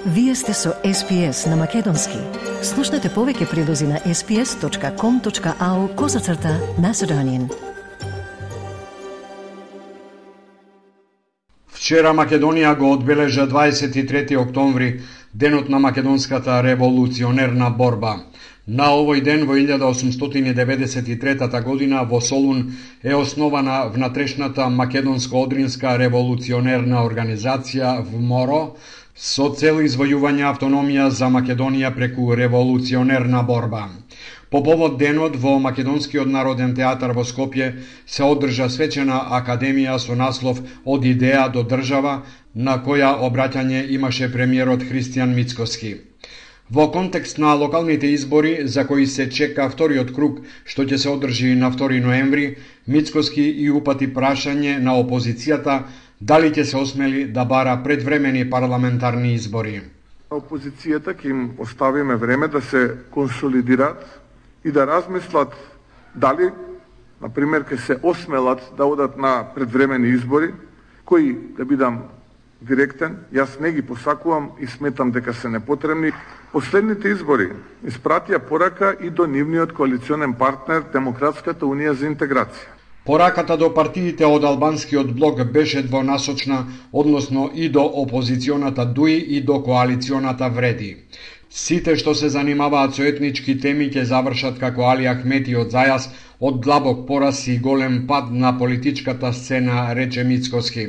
Вие сте со SPS на Македонски. Слушнете повеќе прилози на sps.com.au/Macedonian. Вчера Македонија го одбележа 23 октомври, денот на македонската револуционерна борба. На овој ден во 1893 година во Солун е основана внатрешната македонско-одринска револуционерна организација ВМОРО со цел извојување автономија за Македонија преку револуционерна борба. По повод денот во Македонскиот народен театар во Скопје се одржа свечена академија со наслов "Од идеја до држава", на која обраќање имаше премиерот Христијан Мицкоски. Во контекст на локалните избори за кои се чека вториот круг, што ќе се одржи на 2 ноември, Мицкоски и упати прашање на опозицијата дали ќе се осмели да бара предвремени парламентарни избори. Опозицијата ќе им оставиме време да се консолидираат и да размислат дали, например, ќе се осмелат да одат на предвремени избори, кои, да бидам директен, јас не ги посакувам и сметам дека се непотребни. Последните избори испратија порака и до нивниот коалиционен партнер Демократската унија за интеграција. Пораката до партиите од албанскиот блок беше двонасочна, односно и до опозиционата ДУИ и до коалиционата Вреди. Сите што се занимаваат со етнички теми ќе завршат како Али Ахмети од Зајас од длабок пораз и голем пад на политичката сцена, рече Мицкоски.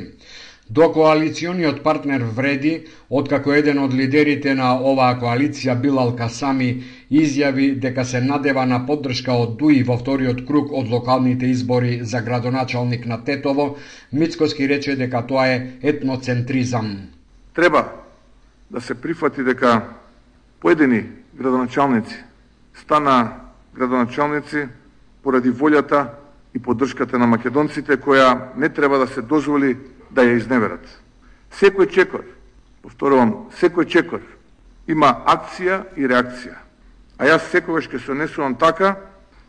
До коалициониот партнер Вреди, откако еден од лидерите на оваа коалиција Билал Касами изјави дека се надева на поддршка од ДУИ во вториот круг од локалните избори за градоначалник на Тетово, Мицкоски рече дека тоа е етноцентризам. Треба да се прифати дека поедини градоначалници стана градоначалници поради волјата и поддршката на македонците, која не треба да се дозволи да ја изневерат. Секој чекор, повторувам, секој чекор има акција и реакција. А јас секогаш ќе се однесувам така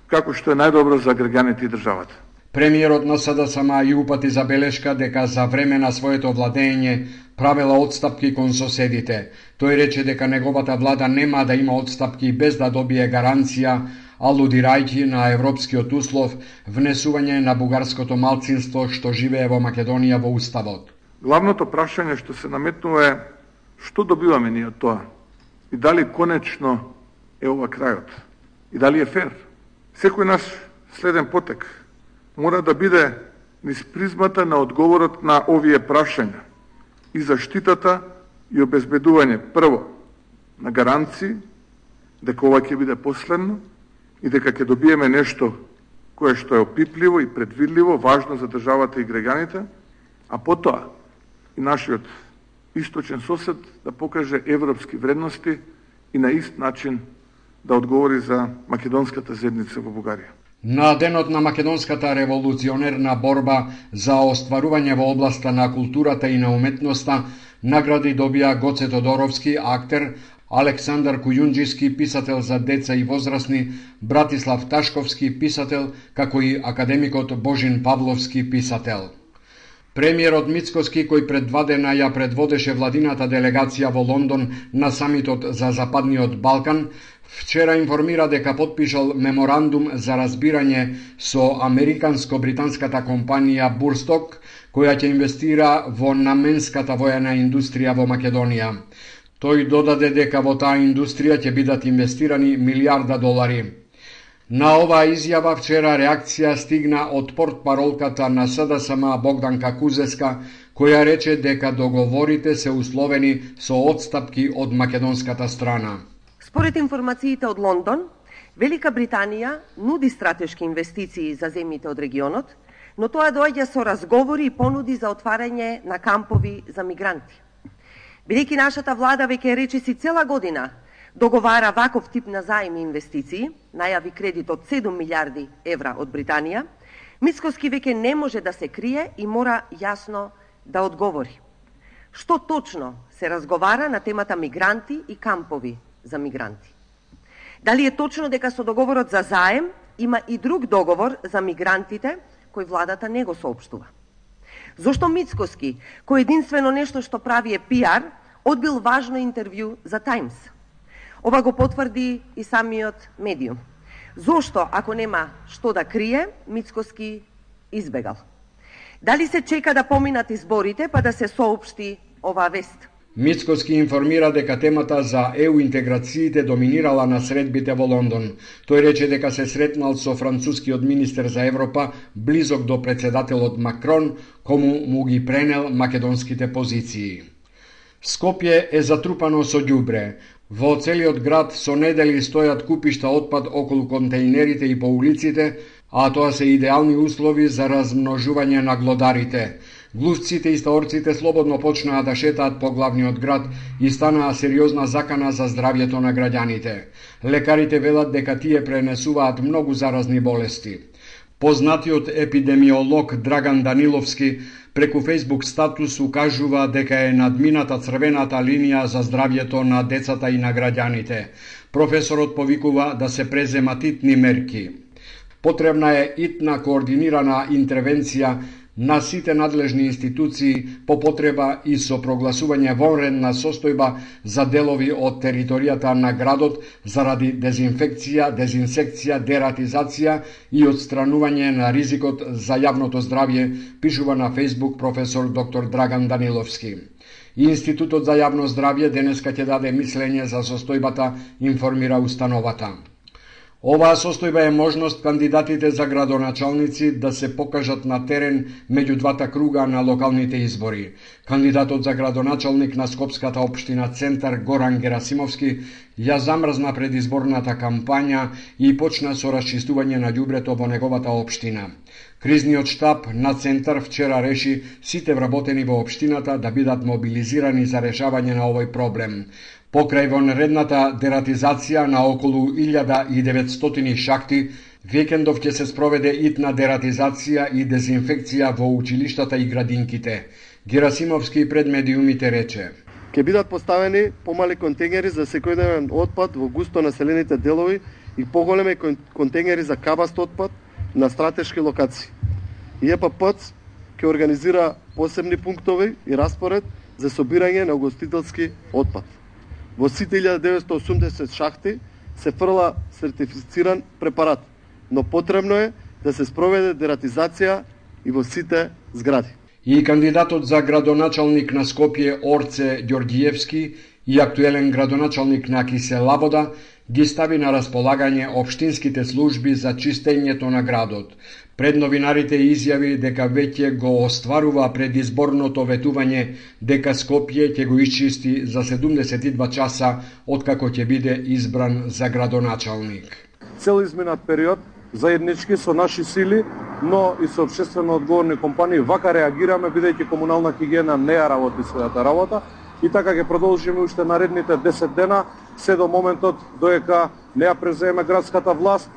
како што е најдобро за граѓаните и државата. Премиерот на СДСМ и упати забелешка дека за време на своето владење правела отстапки кон соседите. Тој рече дека неговата влада нема да има отстапки без да добие гаранција, алудирајќи на европскиот услов внесување на бугарското малцинство што живее во Македонија во Уставот. Главното прашање што се наметнува е што добиваме ние од тоа и дали конечно е ова крајот и дали е фер. Секој наш следен потек мора да биде низ призмата на одговорот на овие прашања и заштитата и обезбедување прво на гаранции дека ова ќе биде последно и дека ќе добиеме нешто кое што е опипливо и предвидливо, важно за државата и граѓаните, а потоа и нашиот источен сосед да покаже европски вредности и на ист начин да одговори за македонската заедница во Бугарија. На денот на македонската револуционерна борба за остварување во областа на културата и на уметноста награди добија Гоце Тодоровски, актер, Александар Кујунџиски, писател за деца и возрастни, Братислав Ташковски, писател, како и академикот Божин Павловски, писател. Премиерот Мицкоски, кој пред 2 дена ја предводеше владината делегација во Лондон на самитот за Западниот Балкан, вчера информира дека потпишал меморандум за разбирање со американско-британската компанија Бурсток, која ќе инвестира во наменската воена индустрија во Македонија. Тој додаде дека во таа индустрија ќе бидат инвестирани $1 милиарди. На оваа изјава вчера реакција стигна од портпаролката на СДСМ Богданка Кузеска, која рече дека договорите се условени со отстапки од македонската страна. Според информациите од Лондон, Велика Британија нуди стратешки инвестиции за земјите од регионот, но тоа доаѓа со разговори и понуди за отварање на кампови за мигранти. Бидејќи нашата влада веќе речиси цела година договара ваков тип на заем и инвестиции, најави кредит од 7 милиарди евра од Британија, Мицкоски веќе не може да се крие и мора јасно да одговори. Што точно се разговара на темата мигранти и кампови за мигранти? Дали е точно дека со договорот за заем има и друг договор за мигрантите кој владата не го соопштува? Зошто Мицкоски, кој единствено нешто што прави е пиар, одбил важно интервју за Таймс. Ова го потврди и самиот медиум. Зошто, ако нема што да крие, Мицкоски избегал? Дали се чека да поминат изборите па да се соопшти оваа вест? Мицкоски информира дека темата за ЕУ интеграциите доминирала на средбите во Лондон. Тој рече дека се сретнал со францускиот министер за Европа, близок до председателот Макрон, кому му ги пренел македонските позиции. Скопје е затрупано со ѓубре. Во целиот град со недели стојат купишта отпад околу контејнерите и по улиците, а тоа се идеални услови за размножување на глодарите. Глувците и стаорците слободно почнаа да шетаат по главниот град и станаа сериозна закана за здравјето на граѓаните. Лекарите велат дека тие пренесуваат многу заразни болести. Познатиот епидемиолог Драган Даниловски преку Facebook статус укажува дека е надмината црвената линија за здравјето на децата и на граѓаните. Професорот повикува да се преземат итни мерки. Потребна е итна координирана интервенција на сите надлежни институции, по потреба и со прогласување вонредна состојба за делови од територијата на градот заради дезинфекција, дезинсекција, дератизација и отстранување на ризикот за јавното здравје, пишува на Facebook професор доктор Драган Даниловски. Институтот за јавно здравје денеска ќе даде мислење за состојбата, информира установата. Оваа состојба е можност кандидатите за градоначалници да се покажат на терен меѓу двата круга на локалните избори. Кандидатот за градоначалник на Скопската општина Центар Горан Герасимовски ја замрзна предизборната кампања и почна со расчистување на ѓубрето во неговата општина. Кризниот штаб на Центар вчера реши сите вработени во општината да бидат мобилизирани за решавање на овој проблем. Покрај вонредната дератизација на околу 1900 шахти, викендов ќе се спроведе итна дератизација и дезинфекција во училиштата и градинките. Герасимовски пред медиумите рече: Ке бидат поставени помали контејнери за секојдневен отпад во густо населените делови и поголеми контејнери за кабаст отпад на стратешки локации. ЕПП ќе организира посебни пунктови и распоред за собирање на угостителски отпад. Во сите 1980 шахти се фрла сертифициран препарат, но потребно е да се спроведе дератизација и во сите згради. И кандидатот за градоначалник на Скопје Орце Ѓорѓиевски и актуелен градоначалник на Киселавода ги стави на располагање општинските служби за чистењето на градот. Пред новинарите изјави дека веќе го остварува предизборното ветување дека Скопје ќе го исчисти за 72 часа откако ќе биде избран за градоначалник. Цел изминат период заеднички со наши сили, но и со општествено одговорни компании вака реагираме бидејќи комунална хигиена не ја работи својата работа и така ќе продолжиме уште наредните 10 дена се до моментот доека не ја преземе градската власт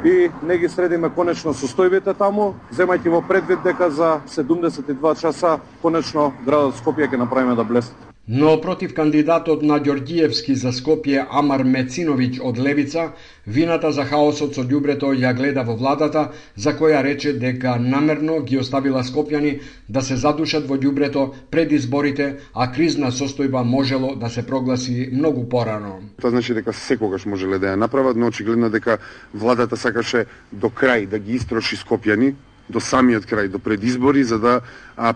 и не ги средиме конечно состојбите таму, земајќи во предвид дека за 72 часа конечно градот Скопје ќе направиме да блесне. Но против кандидатот на Ѓорѓиевски за Скопје Амар Мециновиќ од Левица, вината за хаосот со ѓубрето ја гледа во владата, за која рече дека намерно ги оставила скопјани да се задушат во ѓубрето пред изборите, а кризна состојба можело да се прогласи многу порано. Тоа значи дека секогаш можеле да ја направат, но очигледно дека владата сакаше до крај да ги истроши скопјани, до самиот крај, до предизбори, за да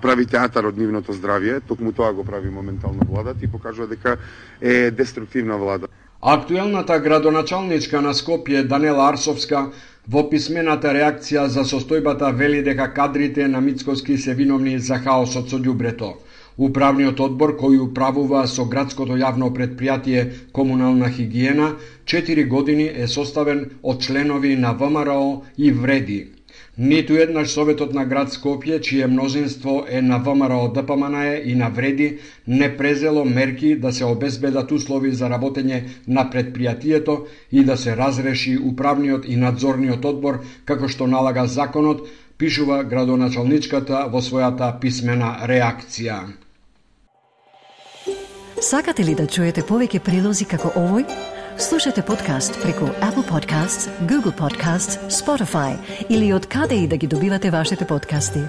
прави театар од нивното здравје. Токму тоа го прави моментално владата и покажува дека е деструктивна влада. Актуелната градоначалничка на Скопје Данела Арсовска во писмената реакција за состојбата вели дека кадрите на Мицкоски се виновни за хаосот со ѓубрето. Управниот одбор кој управува со градското јавно предпријатие Комунална хигиена 4 години е составен од членови на ВМРО и Вреди. Ниту еднаш Советот на град Скопје, чие мнозинство е на ВМРО ДПМНЕ и на Вреди, не презело мерки да се обезбедат услови за работење на предпријатието и да се разреши управниот и надзорниот одбор, како што налага законот, пишува градоначалничката во својата писмена реакција. Сакате ли да чуете повеќе прилози како овој? Слушате подкаст преку Apple Podcasts, Google Podcasts, Spotify или од каде и да ги добивате вашите подкасти.